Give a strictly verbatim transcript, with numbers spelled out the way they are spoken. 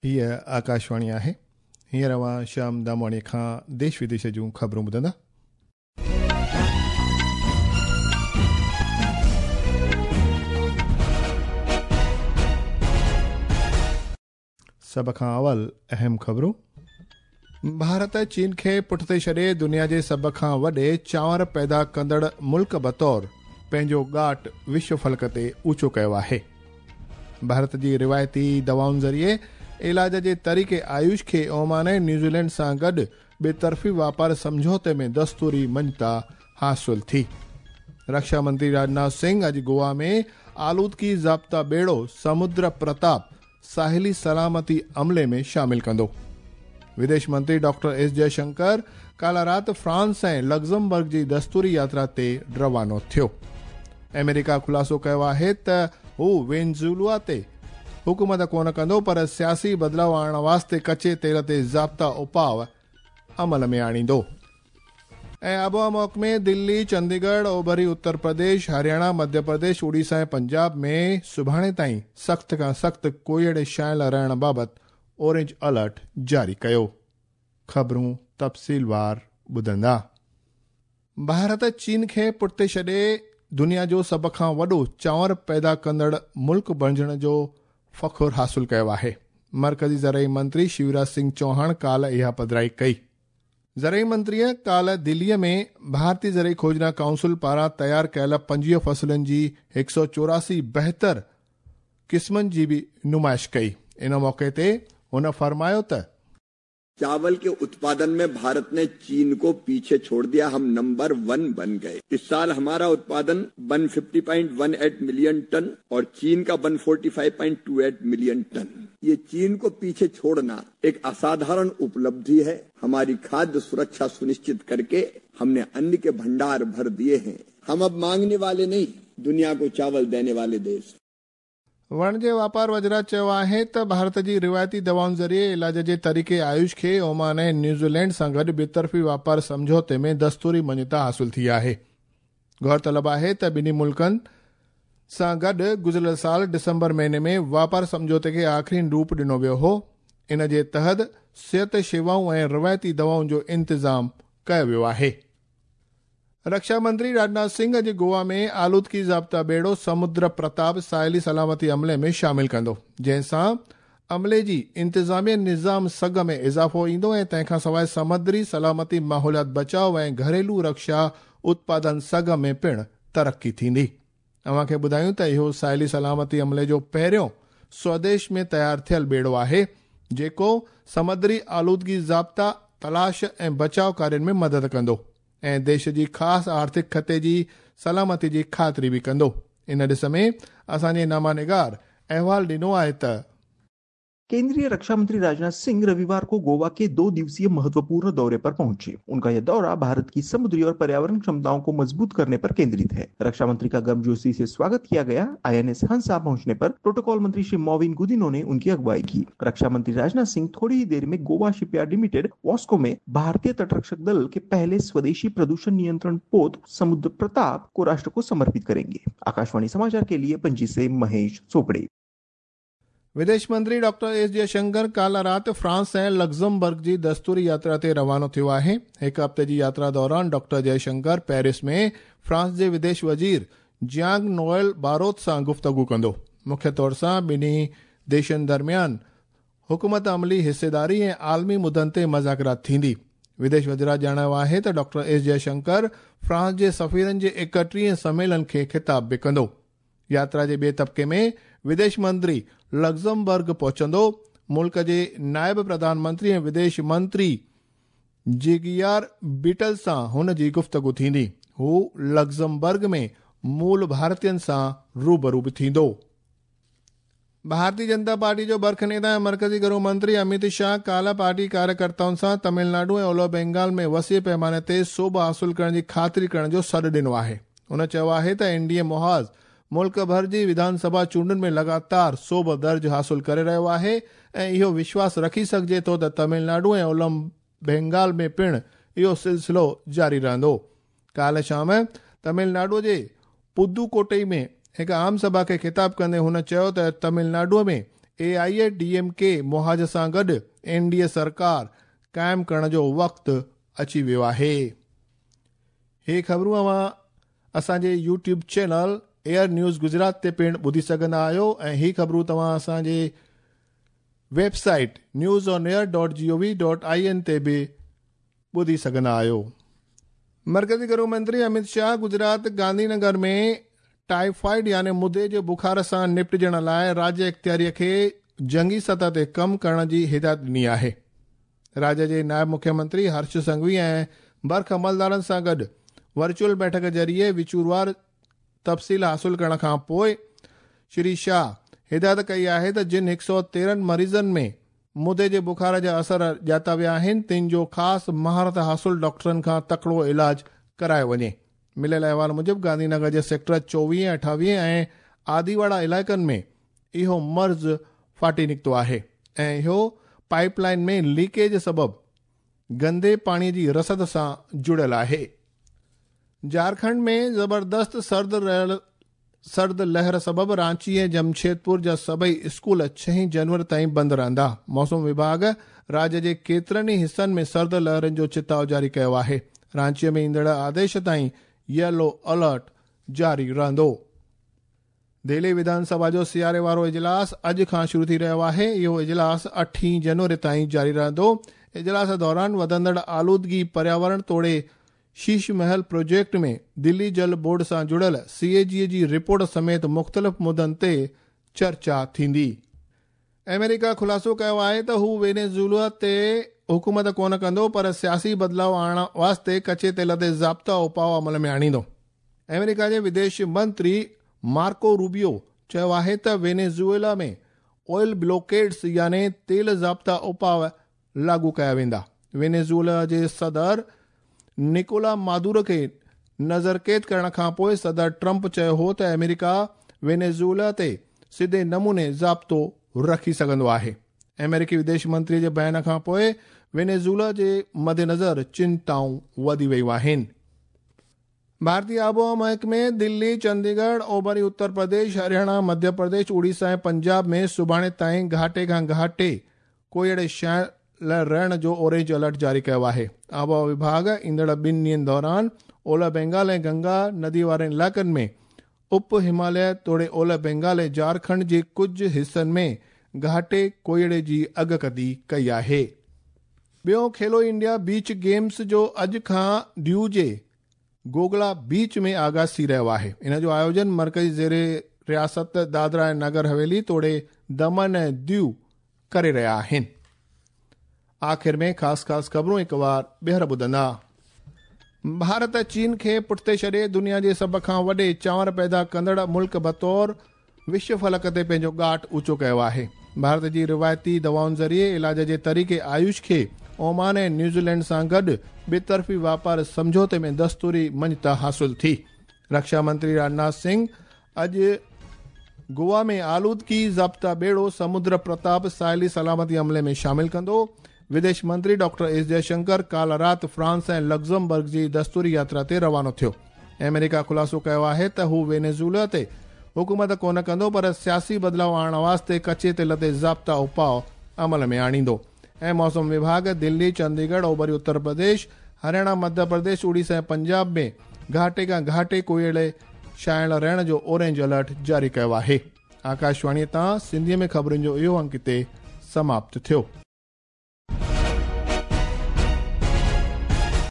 हीअ आकाशवाणी आहे। हींअर अव्हां श्याम दामवाणी खां देश विदेश जूं ख़बरूं ॿुधंदा। सभ खां अवल अहम ख़बरूं। भारत चीन खे पुठिते छॾे दुनिया जे सभ खां वॾे चांवर पैदा कंदड़ मुल्क बतौर पंहिंजो ॻाट विश्व फलक ते ऊंचो कयो आहे। भारत जी रिवायती दवाउनि ज़रिए इलाज जे तरीक़े आयुष खे ओमान ऐं न्यूज़ीलैंड सां गॾु ॿितरफ़ी वापार सम्झौते में दस्तूरी मञता हासिल थी। रक्षा मंत्री राजनाथ सिंह अॼु गोवा में आलूदगी ज़ाब्ता ॿेड़ो समुद्र प्रताप साहिली सलामती अमले में शामिल कंदो। विदेश मंत्री डॉक्टर एस जयशंकर काल्ह राति फ्रांस ऐं लग्जमबर्ग जी दस्तूरी यात्रा ते रवानो थियो। अमेरिका ख़ुलासो कयो आहे त हू वेनेज़ुएला ते हुकूमत कोन कंदो, पर सियासी बदिलाव आणण वास्ते कच्चे तेल ते ज़ाब्ता उपाव अमल में आणींदो। ऐं आबोहवा महकमे दिल्ली, चंडीगढ़, ओभरी उत्तर प्रदेश, हरियाणा, मध्य प्रदेश, उड़ीसा ऐं पंजाब में सुभाणे ताईं सख़्त खां सख़्त कोहिड़े छायल रहण बाबति ऑरेंज अलर्ट जारी कयो। ख़बरूं तफ़सीलवार ॿुधंदा। भारत चीन खे पुठिते छॾे दुनिया जो सभ खां वॾो चांवर पैदा कंदड़ मुल्क बणिजण जो फ़ख़ुरु हासिल कयो आहे। मर्कज़ी ज़रई मंत्री शिवराज सिंह चौहान काल्ह इहा पधराई कई। ज़रई मंत्रीअ काल्ह दिल्लीअ में भारतीय ज़रई खोजना काउंसिल पारां तयारु कयल पंजवीह फसलुनि जी हिकु सौ चौरासी बहितर क़िस्मनि जी बि नुमाइश कई। इन मौक़े ते हुन फरमायो त चावल के उत्पादन में भारत ने चीन को पीछे छोड़ दिया, हम नंबर वन बन गए। इस साल हमारा उत्पादन एक सौ पचास पॉइंट एक आठ मिलियन टन और चीन का एक सौ पैंतालीस पॉइंट दो आठ मिलियन टन। ये चीन को पीछे छोड़ना एक असाधारण उपलब्धि है। हमारी खाद्य सुरक्षा सुनिश्चित करके हमने अन्न के भंडार भर दिए हैं। हम अब मांगने वाले नहीं, दुनिया को चावल देने वाले देश। वणिज वापार वज़रात चयो आहे त भारत जी रिवायती दवाउनि ज़रिए इलाज जे तरीक़े आयुष खे ओमान ऐं न्यूज़ीलैंड सां गॾु ॿितरफ़ी वापार सम्झौते में दस्तूरी मञता हासिल थी आहे। गौर तलब आहे त ॿिन्ही मुल्कनि सां गॾु गुज़िरियल साल डिसंबर महीने में वापार सम्झौते खे आख़िरी रूप ॾिनो वियो हो। इन जे तहत सिहत शेवाऊं ऐं रिवायती दवाउनि जो इंतिज़ाम कयो वियो आहे। रक्षा मंत्री राजनाथ सिंह अॼु गोवा में आलूदगी ज़ाब्ता ॿेड़ो समुद्र प्रताप साहिली सलामती अमले में शामिल कंदो, जंहिंसां अमले जी इंतिज़ामिया निज़ाम सघ में इज़ाफ़ो ईंदो ऐं तंहिंखां सवाइ समुद्री सलामती, माहौलियात बचाव ऐं घरेलू रक्षा उत्पादन सघ में पिणु तरक़ी थींदी। अव्हांखे ॿुधायूं त इहो साहिली सलामती अमले जो पहिरियों स्वदेश में तयारु थियल ॿेड़ो आहे, जेको समुद्री आलूदगी ज़ाब्ता तलाश ऐं बचाव कार्यनि में मदद कंदो ऐं देश जी ख़ासि आर्थिक ख़ते जी सलामती जी ख़ातिरी बि कंदो। इन ॾिस में असांजे नामानिगार अहवाल ॾिनो आहे त केंद्रीय रक्षा मंत्री राजनाथ सिंह रविवार को गोवा के दो दिवसीय महत्वपूर्ण दौरे पर पहुंचे। उनका यह दौरा भारत की समुद्री और पर्यावरण क्षमताओं को मजबूत करने पर केंद्रित है। रक्षा मंत्री का गर्मजोशी से स्वागत किया गया। आईएनएस हंसा पहुंचने पर प्रोटोकॉल मंत्री श्री मॉविन गुदिनो ने उनकी अगुवाई की। रक्षा मंत्री राजनाथ सिंह थोड़ी ही देर में गोवा शिपयार्ड लिमिटेड वास्को में भारतीय तटरक्षक दल के पहले स्वदेशी प्रदूषण नियंत्रण पोत समुद्र प्रताप को राष्ट्र को समर्पित करेंगे। आकाशवाणी समाचार के लिए पणजी से महेश चोपड़े। विदेश मंत्री डॉक्टर एस जयशंकर काल्ह राति फ्रांस ऐं लग्जमबर्ग जी दस्तूरी यात्रा ते रवानो थियो आहे। हिकु हफ़्ते जी यात्रा दौरान डॉक्टर जयशंकर पेरिस में फ्रांस जे विदेश वज़ीर जियांग नोएल बारोत सां गुफ़्तगू कंदो। मुख्य तौर सां ॿिन्ही देशनि दरमियान हुकूमत अमली हिस्सेदारी ऐं आलमी मुदनि ते मज़ाकरात थींदी। विदेश वज़रात ॼाणायो आहे त डॉक्टर एस जयशंकर फ्रांस जे सफ़ीरनि जे एकटीह सम्मेलन खे ख़िताब बि कंदो। यात्रा जे ॿिए तबिके में विदेश मंत्री लग्जमबर्ग पहुचंदो। मुल्क जे नायब प्रधानमंत्री ऐं विदेश मंत्री जिगियार बीटल सां हुन जी गुफ़्तगू थींदी। हू लग्जमबर्ग में मूल भारतीयनि सां रूबरू बि थींदो। भारतीय जनता पार्टी जो बर्ख नेता ऐं मर्कज़ी गृह मंत्री अमित शाह काल्ह पार्टी कार्यकर्ताउनि सां तमिलनाडु ऐं ओलह बंगाल में वसी पैमाने ते सोभ हासिल करण जी ख़ातिरी करण जो सॾु ॾिनो आहे। हुन चयो आहे त एनडीए मुहाज़ मुल्क भर जी विधानसभा चूंडुनि में लगातार सोभ दर्ज हासिल करे रहियो आहे ऐं इहो विश्वास रखी सघिजे थो त तमिलनाडु ऐं ओलह बंगाल में पिणु इहो सिलसिलो जारी रहंदो। काल्ह शाम तमिलनाडु जे पुदुकोट्टई में हिकु आम सभा खे ख़िताब कंदे हुन चयो त तमिलनाडुअ में A I A D M K मुहाज़ सां गॾु एन डी ए सरकार क़ाइमु करण जो वक़्तु अची वियो आहे। हे ख़बरूं अव्हां असांजे YouTube channel Air News Gujarat ते पिणु ॿुधी सघंदा आहियो ऐं ही ख़बरूं तव्हां असांजे website news on air dot G O V dot I N ते बि ॿुधी सघंदा आहियो। मरकज़ी गृह मंत्री अमित शाह गुजरात गांधीनगर में टाइफाइड यानी मुदे जे बुखार सां निपटिजण लाइ राज्य इख़्तियारीअ खे जंगी सतह ते कमु करण जी हिदायत ॾिनी आहे। राज्य जे नायब मुख्यमंत्री हर्ष संघवी ऐं बर्ख अमलदारनि सां गॾु वर्चुअल बैठक ज़रिए विचूरवार तफ़सील हासिल करण खां पोइ श्री शाह हिदायत कई आहे त जिन हिकु सौ तेरहं मरीज़नि में मुदे जे बुखार जा असर ॼाता विया आहिनि तिन जो ख़ासि महारत हासिल डॉक्टरनि खां तकड़ो इलाज करायो वञे। मिलियल अहवाल मूजिबि गांधीनगर जे सेक्टर चोवीह, अठावीह ऐं आदिवाड़ा इलाइक़नि में इहो मर्ज़ फाटी निकितो आहे ऐं इहो पाइपलाइन में लीकेज सबबु गंदे पाणीअ जी रसद सां जुड़ियल आहे। झारखंड में ज़बरदस्त सर्द रहियल सर्द लहर सबबु रांची ऐं जमशेदपुर जा सभई स्कूल छह जनवरी ताईं बंदि रहंदा। मौसम विभाग राज्य जे केतिरनि ई हिसनि में सर्द लहरनि जो चिताव जारी कयो आहे। रांचीअ में ईंदड़ आदेश ताईं येलो अलर्ट जारी रहंदो। दिल्ली विधानसभा जो सियारे वारो इजलास अॼु खां शुरू थी रहियो आहे। इहो इजलास अठी जनवरी ताईं जारी रहंदो। इजलास दौरान वधंदड़ आलूदगी, पर्यावरण तोड़े शीश महल प्रोजेक्ट में दिल्ली जल बोर्ड सां जुड़ियल सी ए जी जी रिपोर्ट समेत मुख़्तलिफ़ मुद्दनि ते चर्चा थींदी। अमेरिका ख़ुलासो कयो आहे त हू वेनेज़ुएला ते हुकूमत कोन कंदो, पर सियासी बदिलाव आणण वास्ते कचे तेल ते ज़ाब्ता उपाउ अमल में आणींदो। अमेरिका जे विदेश मंत्री मार्को रूबियो चयो आहे त वेनेज़ुएला में ऑयल ब्लॉकेड्स यानी तेल ज़ाब्ता उपाउ लागू कया वेंदा। वेनेज़ुएला जे सदर निकोला मादुरो खे नज़रक़ैद करण खां पोइ सदर ट्रंप चयो हो त अमेरिका वेनेज़ुएला ते सिधे नमूने ज़ाब्तो रखी सघंदो आहे। अमेरिकी विदेश मंत्री जे बयान खां पोइ वेनेज़ुएला जे मद्देनज़र चिंताऊं वधी वयूं आहिनि। भारतीय आबोहवा महकमे दिल्ली, चंडीगढ़, ओभरी उत्तर प्रदेश, हरियाणा, मध्य प्रदेश, उड़ीसा ऐं पंजाब में सुभाणे ताईं घाटे खां घाटे कोहिड़े छायल रहण जो ऑरेंज अलर्ट जारी कयो आहे। आबोहवा विभाग ईंदड़ ॿिनि ॾींहनि दौरान ओलह बंगाल ऐं गंगा नदी वारनि इलाइक़नि में उप हिमालय तोड़े ओलह बंगाल ऐं झारखंड जे कुझु हिसनि में घाटे कोहिड़े जी अगकथी कई आहे। ॿियो खेलो इंडिया बीच गेम्स जो अॼु खां दीव जे गोगला बीच में आगाज़ थी रहियो आहे। इन जो आयोजन मरकज़ी ज़ेरे रियासत दादरा ऐं नगर हवेली तोड़े दमन ऐं दीव करे रहिया आहिनि। आख़िर में ख़ासि ख़ासि ख़बरूं हिकु वार ॿीहर ॿुधंदा। भारत चीन खे पुठिते छॾे दुनिया जे सभ खां वॾे चांवर पैदा कंदड़ मुल्क बतौर विश्व फलक ते पंहिंजो ॻाठ ऊंचो कयो आहे। भारत जी रिवायती दवाउनि ज़रिए इलाज जे तरीक़े आयुष खे ओमान ऐं न्यूज़ीलैंड सां गॾु ॿितरफ़ी वापार सम्झौते में दस्तूरी मञता हासिल थी। रक्षा मंत्री राजनाथ सिंह अॼु गोवा में आलूदगी ज़ाब्ता ॿेड़ो समुद्र प्रताप साहिली सलामती अमले में शामिल कंदो। विदेश मंत्री डॉक्टर एस जयशंकर काल्ह राति फ्रांस ऐं लग्ज़मबर्ग जी दस्तूरी यात्रा ते रवानो थियो। अमेरिका ख़ुलासो कयो आहे त हू वेनेज़ुएला ते हुकूमत कोन कंदो, पर सियासी बदिलाव आणण वास्ते कचे तेल ते ज़ाब्ता उपाउ अमल में आणींदो। ऐं मौसम विभाग दिल्ली, चंडीगढ़, ओभरी उत्तर प्रदेश, हरियाणा, मध्य प्रदेश, उड़ीसा ऐं पंजाब में घाटे खां घाटे कोहिड़े छायल रहण जो ऑरेंज अलर्ट जारी कयो आहे। आकाशवाणीअ तां सिंधीअ में ख़बरुनि जो इहो अंक हिते समाप्त थियो।